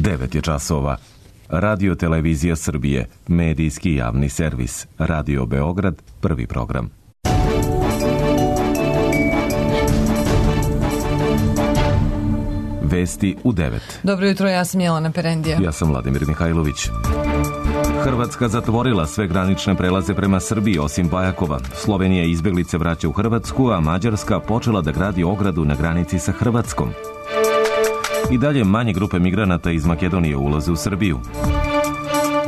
9 je časova. Radio Televizija Srbije, medijski javni servis. Radio Beograd, prvi program. Vesti u 9. Dobro jutro, ja sam Jelena Perendija. Ja sam Vladimir Mihajlović. Hrvatska zatvorila sve granične prelaze prema Srbiji osim Bajakova. Slovenija izbeglice vraća u Hrvatsku, a Mađarska počela da gradi ogradu na granici sa Hrvatskom. I dalje manje grupe migranata iz Makedonije ulaze u Srbiju.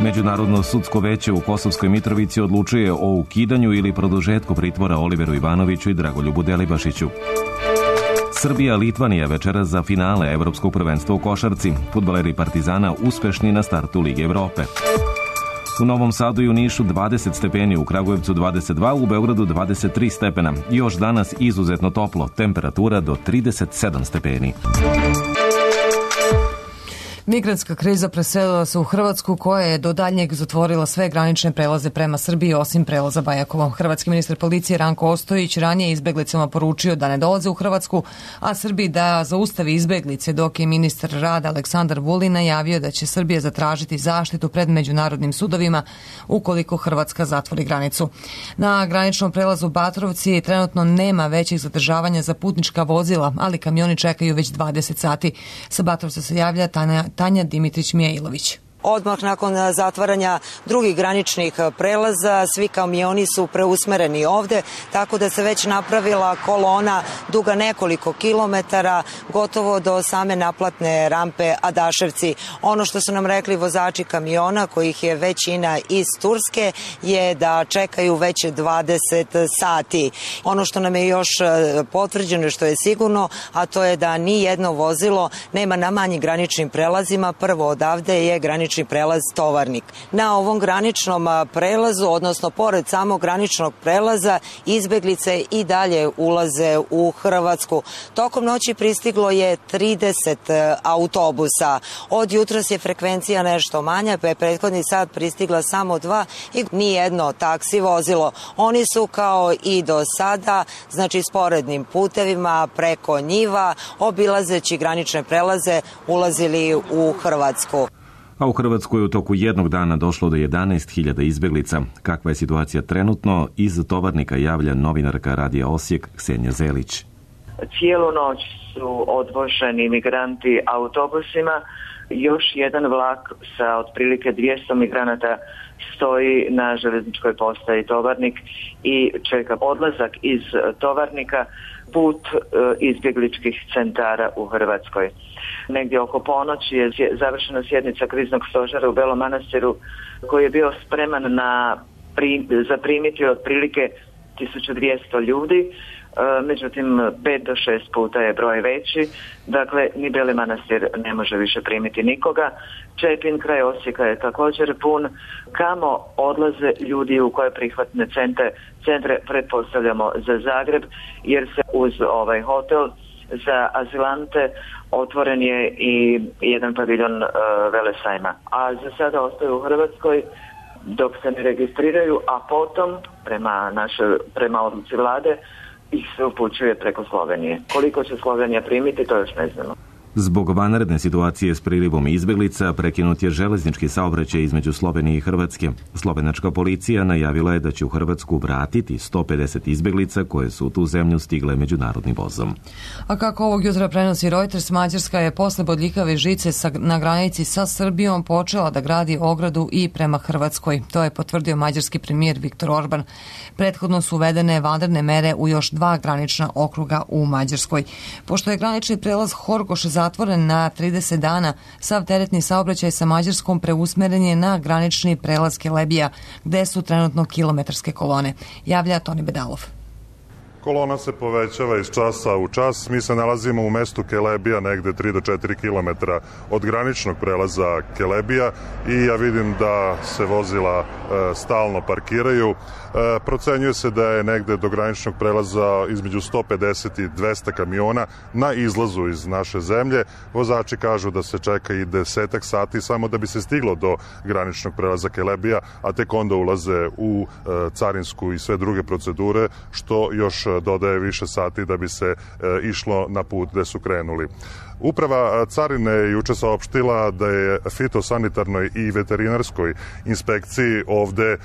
Međunarodno sudsko veće u Kosovskoj Mitrovici odlučuje o ukidanju ili produžetku pritvora Oliveru Ivanoviću i Dragoljubu Delibašiću. Srbija-Litvanija večeras za finale Evropskog prvenstva u košarci. Fudbaleri Partizana uspešni na startu Lige Evrope. U Novom Sadu i u Nišu 20 stepeni, u Kragujevcu 22, u Beogradu 23 stepena. Još danas izuzetno toplo, temperatura do 37 stepeni. Migrantska kriza preselila se u Hrvatsku, koja je do daljnjeg zatvorila sve granične prelaze prema Srbiji osim prelaza Bajakovo. Hrvatski ministar policije Ranko Ostojić ranije izbeglicama poručio da ne dolaze u Hrvatsku, a Srbiji da zaustavi izbeglice, dok je ministar rada Aleksandar Vulin najavio da će Srbija zatražiti zaštitu pred međunarodnim sudovima ukoliko Hrvatska zatvori granicu. Na graničnom prelazu Batrovci trenutno nema većih zadržavanja za putnička vozila, ali kamioni čekaju već 20 sati. Sa Batrovca se javlja Tanja Dimitrić-Mijailović. Odmah nakon zatvaranja drugih graničnih prelaza, svi kamioni su preusmereni ovde, tako da se već napravila kolona duga nekoliko kilometara, gotovo do same naplatne rampe Adaševci. Ono što su nam rekli vozači kamiona, kojih je većina iz Turske, je da čekaju već 20 sati. Ono što nam je još potvrđeno, što je sigurno, a to je da ni jedno vozilo nema na manjim graničnim prelazima. Prvo odavde je granični prelaz Tovarnik. Na ovom graničnom prelazu, odnosno pored samog graničnog prelaza, izbeglice i dalje ulaze u Hrvatsku. Tokom noći pristiglo je 30 autobusa. Od jutros je frekvencija nešto manja, pa je prethodni sat pristigla samo 2 i nijedno taksi vozilo. Oni su kao i do sada, znači sporednim putevima preko njiva, obilazeći granične prelaze, ulazili u Hrvatsku. A u Hrvatsku je u toku jednog dana došlo do 11.000 izbeglica. Kakva je situacija trenutno? Iz Tovarnika javlja novinarka Radija Osijek Ksenija Zelić. Cijelu noć su odvoženi migranti autobusima. Još jedan vlak sa otprilike 200 migranata stoji na željezničkoj postaji Tovarnik i čeka odlazak iz Tovarnika put izbjegličkih centara u Hrvatskoj. Negdje oko ponoći je završena sjednica kriznog stožera u Belom Manastiru, koji je bio spreman zaprimiti otprilike 1200 ljudi, međutim 5 do 6 puta je broj veći, dakle ni Beli Manastir ne može više primiti nikoga. Čepin kraj Osijeka je također pun. Kamo odlaze ljudi, u koje prihvatne centre pretpostavljamo za Zagreb, jer se uz ovaj hotel za azilante otvoren je i jedan paviljon Velesajma. A za sada ostaju u Hrvatskoj dok se ne registriraju, a potom prema odluci vlade ih se upućuje preko Slovenije. Koliko će Slovenija primiti, to još ne znamo. Zbog vanredne situacije s prilivom izbeglica prekinut je železnički saobraćaj između Slovenije i Hrvatske. Slovenačka policija najavila je da će u Hrvatsku vratiti 150 izbeglica koje su u tu zemlju stigle međunarodnim vozom. A kako ovog jutra prenosi Reuters, Mađarska je posle bodljikave žice na granici sa Srbijom počela da gradi ogradu i prema Hrvatskoj. To je potvrdio mađarski premijer Viktor Orban. Prethodno su uvedene vanredne mere u još 2 granična okruga u Mađarskoj. Pošto je granični prelaz Horgoš zatvoren na 30 dana, sav teretni saobraćaj sa Mađarskom preusmeren je na granični prelaz Kelebija, gde su trenutno kilometarske kolone. Javlja Toni Bedalov. Kolona se povećava iz časa u čas. Mi se nalazimo u mestu Kelebija, negde 3 do 4 kilometra od graničnog prelaza Kelebija i ja vidim da se vozila stalno parkiraju. Procenjuje se da je negde do graničnog prelaza između 150 i 200 kamiona na izlazu iz naše zemlje. Vozači kažu da se čeka i 10 sati samo da bi se stiglo do graničnog prelaza Kelebija, a tek onda ulaze u carinsku i sve druge procedure, što još dodaje više sati da bi se išlo na put gde su krenuli. Uprava carine je juče saopštila da je fitosanitarnoj i veterinarskoj inspekciji ovde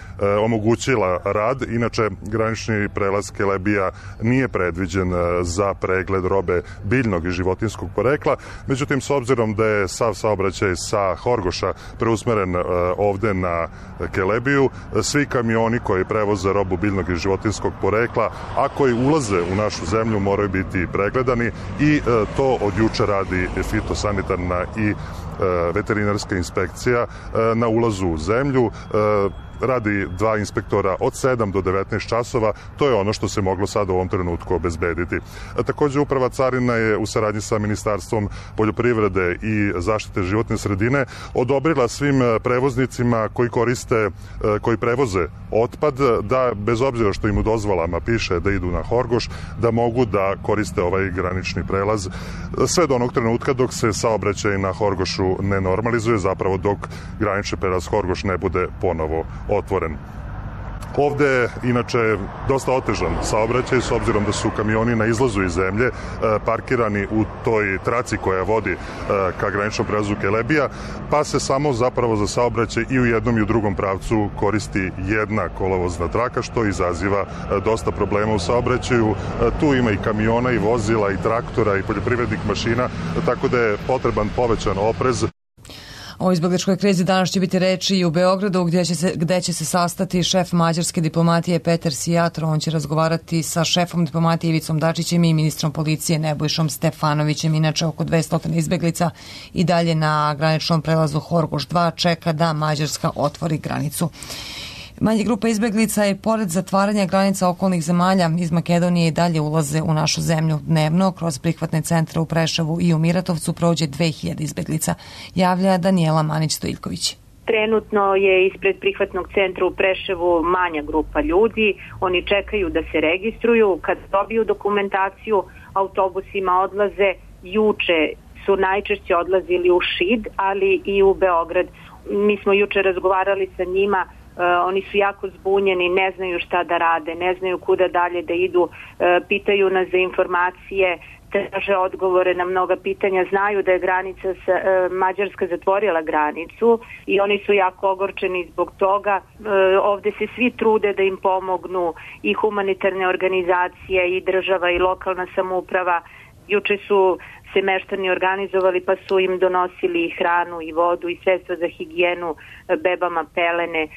omogućila rad. Inače, granični prelaz Kelebija nije predviđen za pregled robe biljnog i životinskog porekla. Međutim, s obzirom da je sav saobraćaj sa Horgoša preusmeren ovde na Kelebiju, svi kamioni koji prevoze robu biljnog i životinskog porekla, a koji ulaze u našu zemlju, moraju biti pregledani i to od juče radi fitosanitarna i veterinarska inspekcija na ulazu u zemlju. Radi 2 inspektora od 7 do 19 časova, to je ono što se moglo sad u ovom trenutku obezbediti. Takođe, Uprava carina je u saradnji sa Ministarstvom poljoprivrede i zaštite životne sredine odobrila svim prevoznicima koji prevoze otpad, da bez obzira što im u dozvolama piše da idu na Horgoš, da mogu da koriste ovaj granični prelaz sve do onog trenutka dok se saobraćaj na Horgošu ne normalizuje, zapravo dok granični prelaz Horgoš ne bude ponovo otvoren. Ovde je inače dosta otežan saobraćaj s obzirom da su kamioni na izlazu iz zemlje parkirani u toj traci koja vodi ka graničnom prelazu Kelebija, pa se samo zapravo za saobraćaj i u jednom i u drugom pravcu koristi jedna kolovozna traka, što izaziva dosta problema u saobraćaju. Tu ima i kamiona i vozila i traktora i poljoprivrednih mašina, tako da je potreban povećan oprez. O izbegličkoj krizi danas će biti reči i u Beogradu gde će se sastati šef mađarske diplomatije Peter Sijatro. On će razgovarati sa šefom diplomatije Ivicom Dačićem i ministrom policije Nebojšom Stefanovićem. Inače, oko 200 izbeglica i dalje na graničnom prelazu Horgoš 2 čeka da Mađarska otvori granicu. Manje grupa izbeglica i pored zatvaranja granica okolnih zemalja iz Makedonije i dalje ulaze u našu zemlju dnevno. Kroz prihvatne centre u Preševu i u Miratovcu prođe 2000 izbeglica. Javlja Danijela Manić-Stojljković. Trenutno je ispred prihvatnog centra u Preševu manja grupa ljudi. Oni čekaju da se registruju. Kad dobiju dokumentaciju, autobusima odlaze. Juče su najčešće odlazili u Šid, ali i u Beograd. Mi smo juče razgovarali sa njima. Oni su jako zbunjeni, ne znaju šta da rade, ne znaju kuda dalje da idu, pitaju nas za informacije, traže odgovore na mnoga pitanja, znaju da je Mađarska zatvorila granicu i oni su jako ogorčeni zbog toga. Ovde se svi trude da im pomognu, i humanitarne organizacije, i država, i lokalna samouprava. Juče su se meštani organizovali pa su im donosili i hranu i vodu i sredstva za higijenu, bebama pelene.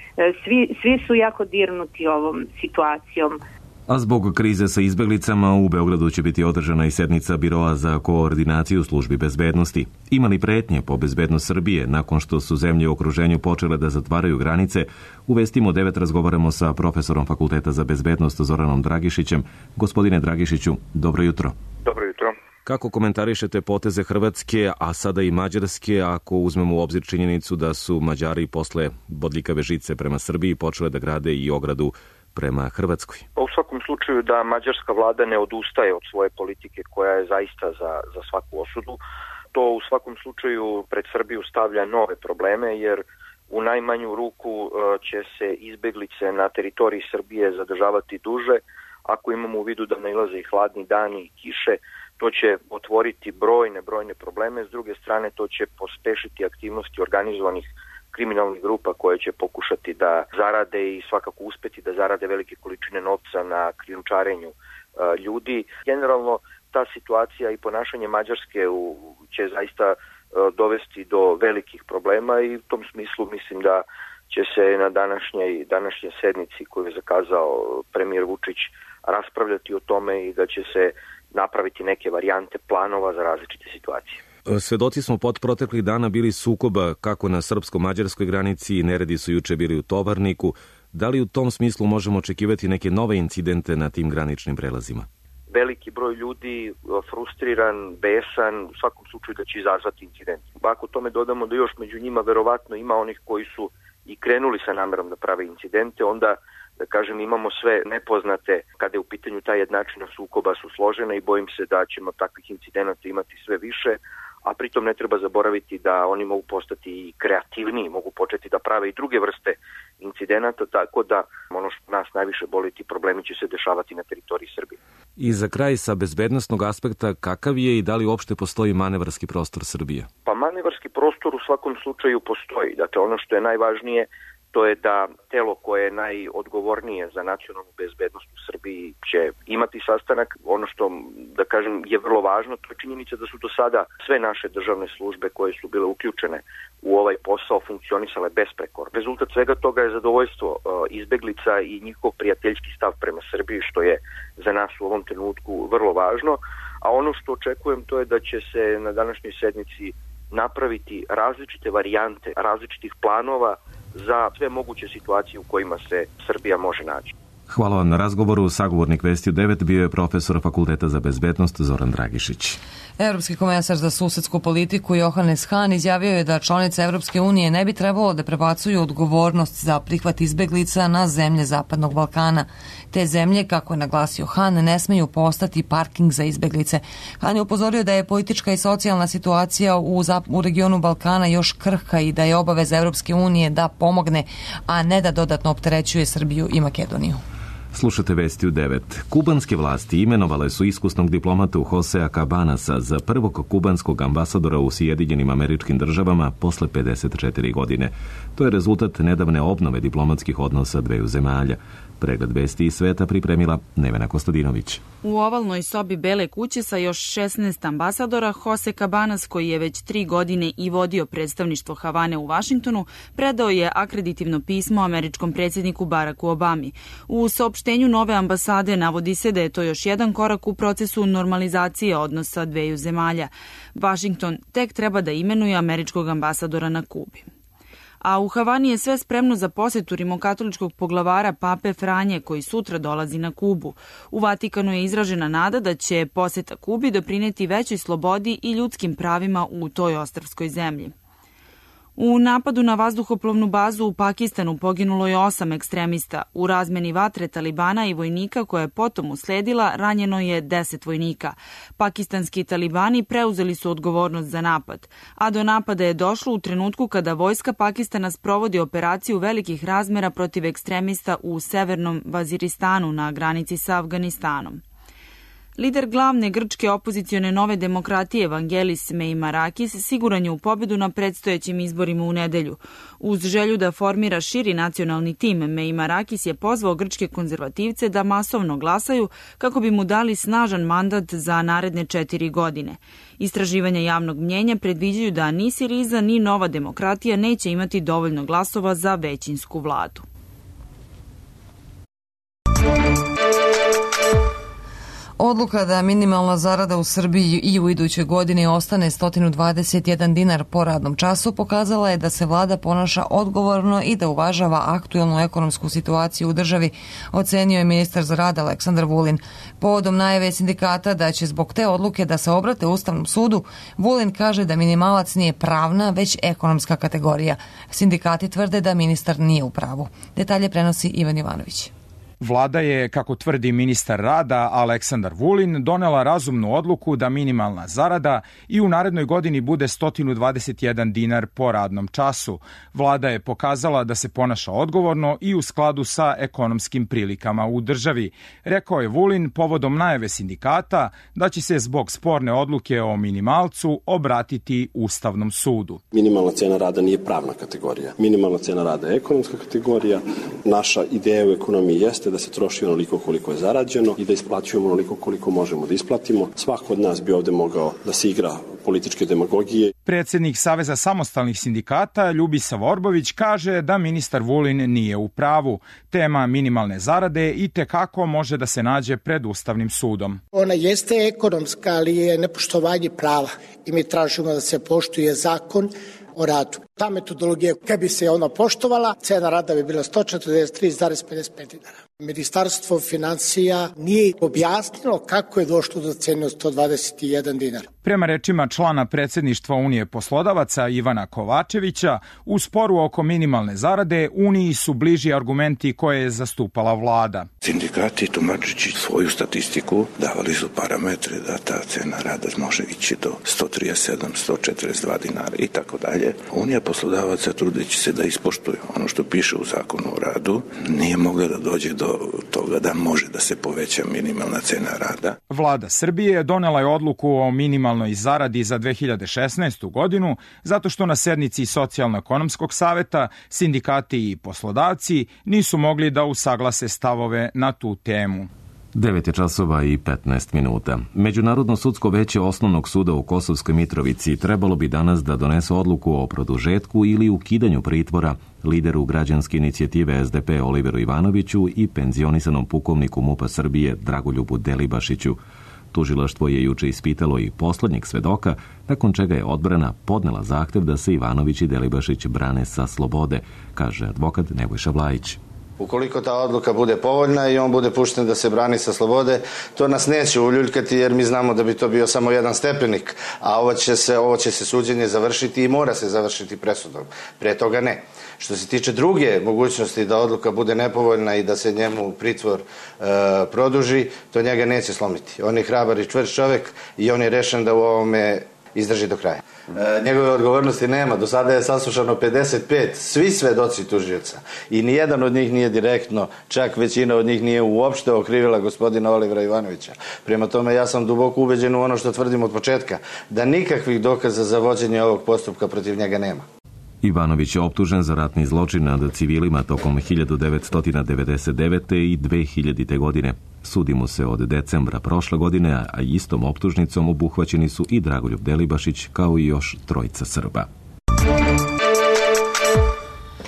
Svi su jako dirnuti ovom situacijom. A zbog krize sa izbeglicama u Beogradu će biti održana i sednica Biroa za koordinaciju službi bezbednosti. Ima li pretnje po bezbednost Srbije nakon što su zemlje u okruženju počele da zatvaraju granice? U Vestima 9 razgovaramo sa profesorom Fakulteta za bezbednost Zoranom Dragišićem. Gospodine Dragišiću, dobro jutro. Dobro jutro. Kako komentarišete poteze Hrvatske, a sada i Mađarske, ako uzmemo u obzir činjenicu da su Mađari posle bodljikave žice prema Srbiji počele da grade i ogradu prema Hrvatskoj? U svakom slučaju da mađarska vlada ne odustaje od svoje politike koja je zaista za svaku osudu. To u svakom slučaju pred Srbiju stavlja nove probleme, jer u najmanju ruku će se izbeglice na teritoriji Srbije zadržavati duže. Ako imamo u vidu da nailaze i hladni dani i kiše, to će otvoriti brojne probleme. S druge strane, to će pospešiti aktivnosti organizovanih kriminalnih grupa koje će pokušati da zarade i svakako uspeti da zarade velike količine novca na krijumčarenju ljudi. Generalno, ta situacija i ponašanje Mađarske će zaista dovesti do velikih problema i u tom smislu mislim da će se na današnjoj sednici koju je zakazao premijer Vučić raspravljati o tome i da će se napraviti neke varijante planova za različite situacije. Svedoci smo pod proteklih dana bili sukoba kako na srpsko-mađarskoj granici, neredi su juče bili u Tovarniku. Da li u tom smislu možemo očekivati neke nove incidente na tim graničnim prelazima? Veliki broj ljudi, frustriran, besan, u svakom slučaju da će izazvati incident. Ako tome dodamo da još među njima verovatno ima onih koji su i krenuli sa namerom da prave incidente, onda da kažem imamo sve nepoznate kada je u pitanju ta jednačina sukoba su složena i bojim se da ćemo takvih incidenata imati sve više, a pritom ne treba zaboraviti da oni mogu postati i kreativniji, mogu početi da prave i druge vrste incidenata, tako da ono što nas najviše boli, ti problemi će se dešavati na teritoriji Srbije. I za kraj, sa bezbednosnog aspekta, kakav je i da li uopšte postoji manevarski prostor Srbije? Pa manevarski prostor u svakom slučaju postoji. Dakle, ono što je najvažnije, to je da telo koje je najodgovornije za nacionalnu bezbednost u Srbiji će imati sastanak. Ono što, da kažem, je vrlo važno, to je činjenica da su do sada sve naše državne službe koje su bile uključene u ovaj posao funkcionisale besprekorno. Rezultat svega toga je zadovoljstvo izbeglica i njihov prijateljski stav prema Srbiji, što je za nas u ovom trenutku vrlo važno. A ono što očekujem, to je da će se na današnjoj sednici napraviti različite varijante, različitih planova za sve moguće situacije u kojima se Srbija može naći. Hvala vam na razgovoru. Sagovornik Vestiju 9 bio je profesor Fakulteta za bezbednost Zoran Dragišić. Europski komesar za susedsku politiku Johannes Hahn izjavio je da članice Evropske unije ne bi trebalo da prebacuju odgovornost za prihvat izbeglica na zemlje Zapadnog Balkana. Te zemlje, kako je naglasio Hahn, ne smeju postati parking za izbeglice. Hahn je upozorio da je politička i socijalna situacija u regionu Balkana još krhka i da je obaveza Evropske unije da pomogne, a ne da dodatno opterećuje Srbiju i Makedoniju. Slušate Vesti u 9. Kubanske vlasti imenovale su iskusnog diplomatu Josea Cabanasa za prvog kubanskog ambasadora u Sjedinjenim Američkim Državama posle 54 godine. To je rezultat nedavne obnove diplomatskih odnosa dveju zemalja. Pregled vesti iz sveta pripremila Nevena Kostadinović. U ovalnoj sobi Bele kuće sa još 16 ambasadora, Jose Cabanas, koji je već 3 godine i vodio predstavništvo Havane u Vašingtonu, predao je akreditivno pismo američkom predsjedniku Baracku Obami. U saopštenju nove ambasade navodi se da je to još jedan korak u procesu normalizacije odnosa dveju zemalja. Vašington tek treba da imenuje američkog ambasadora na Kubi. A u Havani je sve spremno za posjetu rimokatoličkog poglavara Pape Franje, koji sutra dolazi na Kubu. U Vatikanu je izražena nada da će posjeta Kubi doprineti većoj slobodi i ljudskim pravima u toj ostrvskoj zemlji. U napadu na vazduhoplovnu bazu u Pakistanu poginulo je 8 ekstremista. U razmeni vatre Talibana i vojnika koja je potom usledila, ranjeno je 10 vojnika. Pakistanski talibani preuzeli su odgovornost za napad, a do napada je došlo u trenutku kada vojska Pakistana sprovodi operaciju velikih razmera protiv ekstremista u severnom Vaziristanu na granici sa Afganistanom. Lider glavne grčke opozicione Nove demokratije Vangelis Meimarakis siguran je u pobedu na predstojećim izborima u nedelju. Uz želju da formira širi nacionalni tim, Meimarakis je pozvao grčke konzervativce da masovno glasaju kako bi mu dali snažan mandat za naredne 4 godine. Istraživanja javnog mnjenja predviđaju da ni Siriza ni Nova demokratija neće imati dovoljno glasova za većinsku vladu. Odluka da minimalna zarada u Srbiji i u idućoj godini ostane 121 dinar po radnom času pokazala je da se vlada ponaša odgovorno i da uvažava aktuelnu ekonomsku situaciju u državi, ocenio je ministar za rad Aleksandar Vulin. Povodom najave sindikata da će zbog te odluke da se obrate Ustavnom sudu, Vulin kaže da minimalac nije pravna, već ekonomska kategorija. Sindikati tvrde da ministar nije u pravu. Detalje prenosi Ivan Jovanović. Vlada je, kako tvrdi ministar rada Aleksandar Vulin, donela razumnu odluku da minimalna zarada i u narednoj godini bude 121 dinar po radnom času. Vlada je pokazala da se ponaša odgovorno i u skladu sa ekonomskim prilikama u državi. Rekao je Vulin povodom najave sindikata da će se zbog sporne odluke o minimalcu obratiti Ustavnom sudu. Minimalna cena rada nije pravna kategorija. Minimalna cena rada je ekonomska kategorija. Naša ideja u ekonomiji jeste da se troši onoliko koliko je zarađeno i da isplaćujemo onoliko koliko možemo da isplatimo. Svako od nas bi ovde mogao da se igra političke demagogije. Predsjednik Saveza samostalnih sindikata Ljubisav Orbović kaže da ministar Vulin nije u pravu. Tema minimalne zarade i tekako može da se nađe pred Ustavnim sudom. Ona jeste ekonomska, ali je nepoštovanje prava i mi tražimo da se poštuje zakon o radu. Ta metodologija, kad bi se ona poštovala, cena rada bi bila 143,55 dinara. Ministarstvo financija nije objasnilo kako je došlo do cene od 121 dinar. Prema rečima člana predsjedništva Unije poslodavaca Ivana Kovačevića, u sporu oko minimalne zarade Uniji su bliži argumenti koje je zastupala vlada. Sindikati tumačeći svoju statistiku davali su parametre da ta cena rada može ići do 137, 142 dinara i tako dalje. Unija poslodavaca, trudeći se da ispoštuju ono što piše u zakonu o radu, nije mogla da dođe do toga da može da se poveća minimalna cena rada. Vlada Srbije donela je odluku o minimalnoj zaradi za 2016. godinu zato što na sednici Socijalno-ekonomskog saveta sindikati i poslodavci nisu mogli da usaglase stavove na tu temu. 9 časova i 15 minuta. Međunarodno sudsko veće Osnovnog suda u Kosovskoj Mitrovici trebalo bi danas da donese odluku o produžetku ili ukidanju pritvora lideru građanske inicijative SDP Oliveru Ivanoviću i penzionisanom pukovniku MUP-a Srbije Dragoljubu Delibašiću. Tužilaštvo je juče ispitalo i poslednjeg svedoka, nakon čega je odbrana podnela zahtev da se Ivanović i Delibašić brane sa slobode, kaže advokat Nebojša Vlajić. Ukoliko ta odluka bude povoljna i on bude pušten da se brani sa slobode, to nas neće uljuljkati jer mi znamo da bi to bio samo jedan stepenik, a ovo će se suđenje završiti i mora se završiti presudom. Pre toga ne. Što se tiče druge mogućnosti da odluka bude nepovoljna i da se njemu pritvor produži, to njega neće slomiti. On je hrabar i čvrst čovjek i on je rešen da u ovome izdrži do kraja. Njegove odgovornosti nema. Do sada je saslušano 55, svi svedoci tužioca. I nijedan od njih nije direktno, čak većina od njih nije uopšte okrivila gospodina Olivera Ivanovića. Prema tome ja sam duboko ubeđen u ono što tvrdim od početka, da nikakvih dokaza za vođenje ovog postupka protiv njega nema. Ivanović je optužen za ratni zločin nad civilima tokom 1999. i 2000. godine. Sudi mu se od decembra prošle godine, a istom optužnicom obuhvaćeni su i Dragoljub Delibašić kao i još trojica Srba.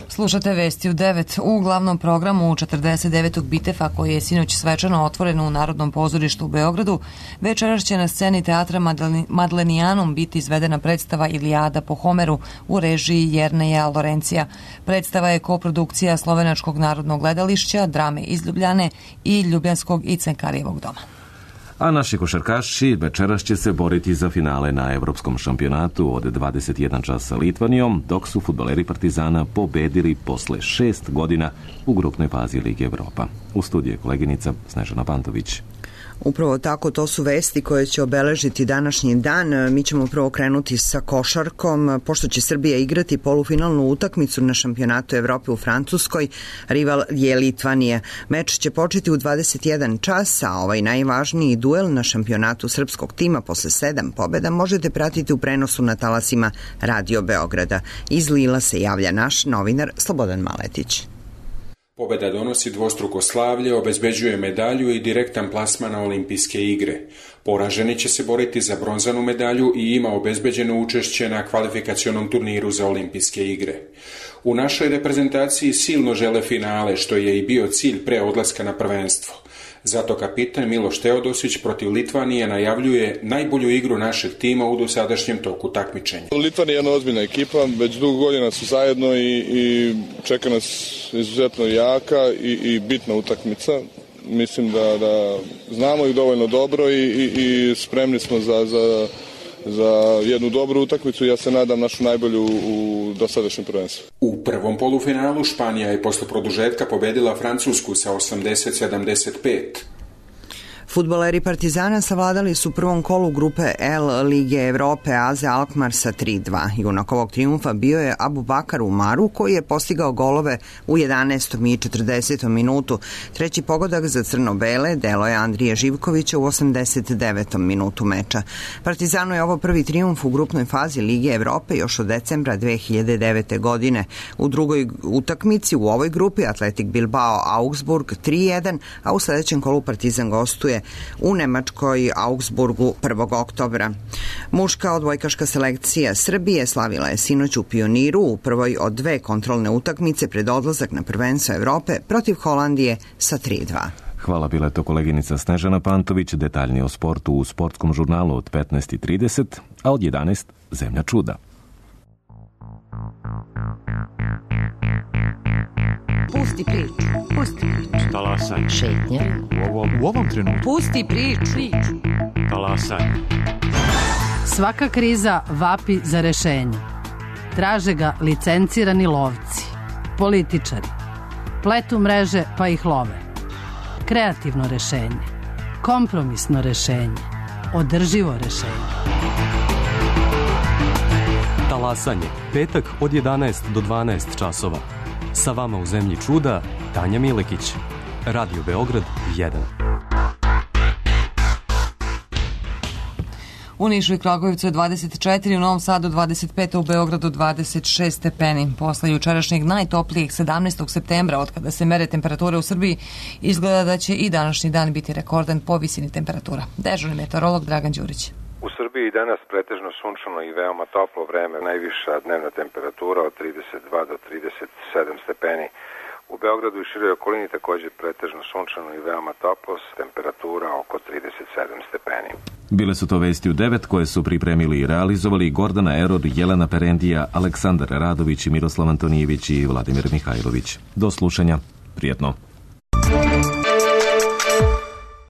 Slušate vesti u 9. U glavnom programu 49. Bitefa koji je sinoć svečano otvoren u Narodnom pozorištu u Beogradu, večeras će na sceni teatra Madlenijanum biti izvedena predstava Ilijada po Homeru u režiji Jerneja Lorencija. Predstava je koprodukcija Slovenačkog narodnog gledališća, Drame iz Ljubljane i Ljubljanskog i Cenkarijevog doma. A naši košarkaši večeras će se boriti za finale na Evropskom šampionatu od 21 časa sa Litvanijom, dok su fudbaleri Partizana pobedili posle 6 godina u grupnoj fazi Lige Evropa. U studiju je koleginica Snežana Pantović. Upravo tako, to su vesti koje će obeležiti današnji dan. Mi ćemo prvo krenuti sa košarkom. Pošto će Srbija igrati polufinalnu utakmicu na šampionatu Evrope u Francuskoj, rival je Litvanija. Meč će početi u 21 čas, a ovaj najvažniji duel na šampionatu srpskog tima posle 7 pobjeda možete pratiti u prenosu na talasima Radio Beograda. Iz Lila se javlja naš novinar Slobodan Maletić. Pobjeda donosi dvostruko slavlje, obezbeđuje medalju i direktan plasman na olimpijske igre. Poraženi će se boriti za bronzanu medalju i ima obezbeđeno učešće na kvalifikacionom turniru za olimpijske igre. U našoj reprezentaciji silno žele finale, što je i bio cilj pre odlaska na prvenstvo. Zato kapitan Miloš Teodosić protiv Litvanije najavljuje najbolju igru našeg tima u dosadašnjem toku takmičenja. Litvanija je jedna ozbiljna ekipa, već dugo godina su zajedno i čeka nas izuzetno jaka i bitna utakmica. Mislim da znamo ih dovoljno dobro i spremni smo za jednu dobru utakmicu. Ja se nadam našu najbolju u dosadašnjem prvenstvu. U prvom polufinalu Španija je posle produžetka pobedila Francusku sa 80-75. Fudbaleri Partizana savladali su u prvom kolu grupe L Lige Evrope AZ Alkmaar sa 3-2. Junak ovog triumfa bio je Abubakar Umaru, koji je postigao golove u 11. i 40. minutu. Treći pogodak za crno-bele delo je Andrije Živkovića u 89. minutu meča. Partizanu je ovo prvi triumf u grupnoj fazi Lige Evrope još od decembra 2009. godine. U drugoj utakmici u ovoj grupi Atletik Bilbao Augsburg 3-1, a u sledećem kolu Partizan gostuje u Nemačkoj Augsburgu 1. oktobra. Muška odbojkaška selekcija Srbije slavila je sinoć u Pioniru u prvoj od dve kontrolne utakmice pred odlazak na prvenstvo Evrope protiv Holandije sa 3-2. Hvala, bila je to koleginica Snežana Pantović. Detaljnije o sportu u sportskom žurnalu od 15:30, a od 11 Zemlja čuda. Pusti priču. Pusti priču. Talasaj. Šetnja. U ovom trenutku. Pusti priču. Talasaj. Svaka kriza vapi za rešenje. Traže ga licencirani lovci, političari. Pletu mreže pa ih love. Kreativno rešenje. Kompromisno rešenje. Održivo rešenje. Talasanje. Petak od 11 do 12 časova. Sa vama u zemlji čuda, Tanja Milekić. Radio Beograd 1. U Nišu i Kragujevcu je 24, u Novom Sadu 25, u Beogradu 26 stepeni. Posle jučerašnjeg najtoplijeg 17. septembra, od kada se mere temperature u Srbiji, izgleda da će i današnji dan biti rekordan po visini temperatura. Dežurni meteorolog Dragan Đurić. U Srbiji danas pretežno sunčano i veoma toplo vreme, najviša dnevna temperatura od 32 do 37 stepeni. U Beogradu i široj okolini također pretežno sunčano i veoma toplo, temperatura oko 37 stepeni. Bile su to vesti u 9 koje su pripremili i realizovali Gordana Eror, Jelena Perendija, Aleksandar Radović, Miroslav Antonijević i Vladimir Mihajlović. Do slušanja. Prijetno.